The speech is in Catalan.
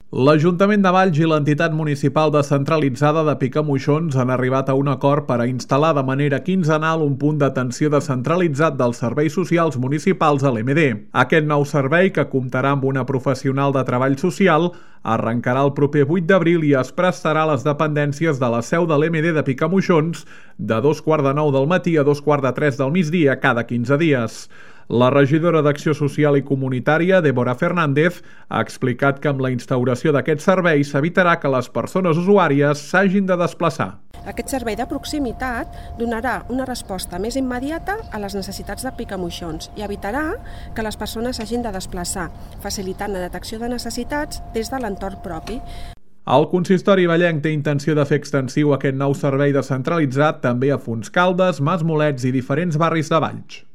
L'Ajuntament de Valls i l'entitat municipal descentralitzada de Picamoixons han arribat a un acord per a instal·lar de manera quinzenal un punt d'atenció descentralitzat dels serveis socials municipals a l'MD. Aquest nou servei, que comptarà amb una professional de treball social, arrencarà el proper 8 d'abril i es prestarà a les dependències de la seu de l'MD de Picamoixons de 2:15 del matí a 2:45 del migdia cada 15 dies. La regidora d'Acció Social i Comunitària, Débora Fernández, ha explicat que amb la instauració d'aquest servei s'evitarà que les persones usuàries s'hagin de desplaçar. Aquest servei de proximitat donarà una resposta més immediata a les necessitats de Picamoixons i evitarà que les persones s'hagin de desplaçar, facilitant la detecció de necessitats des de l'entorn propi. El consistori vallenc té intenció de fer extensiu aquest nou servei descentralitzat també a Fontscaldes, Masmolets i diferents barris de Valls.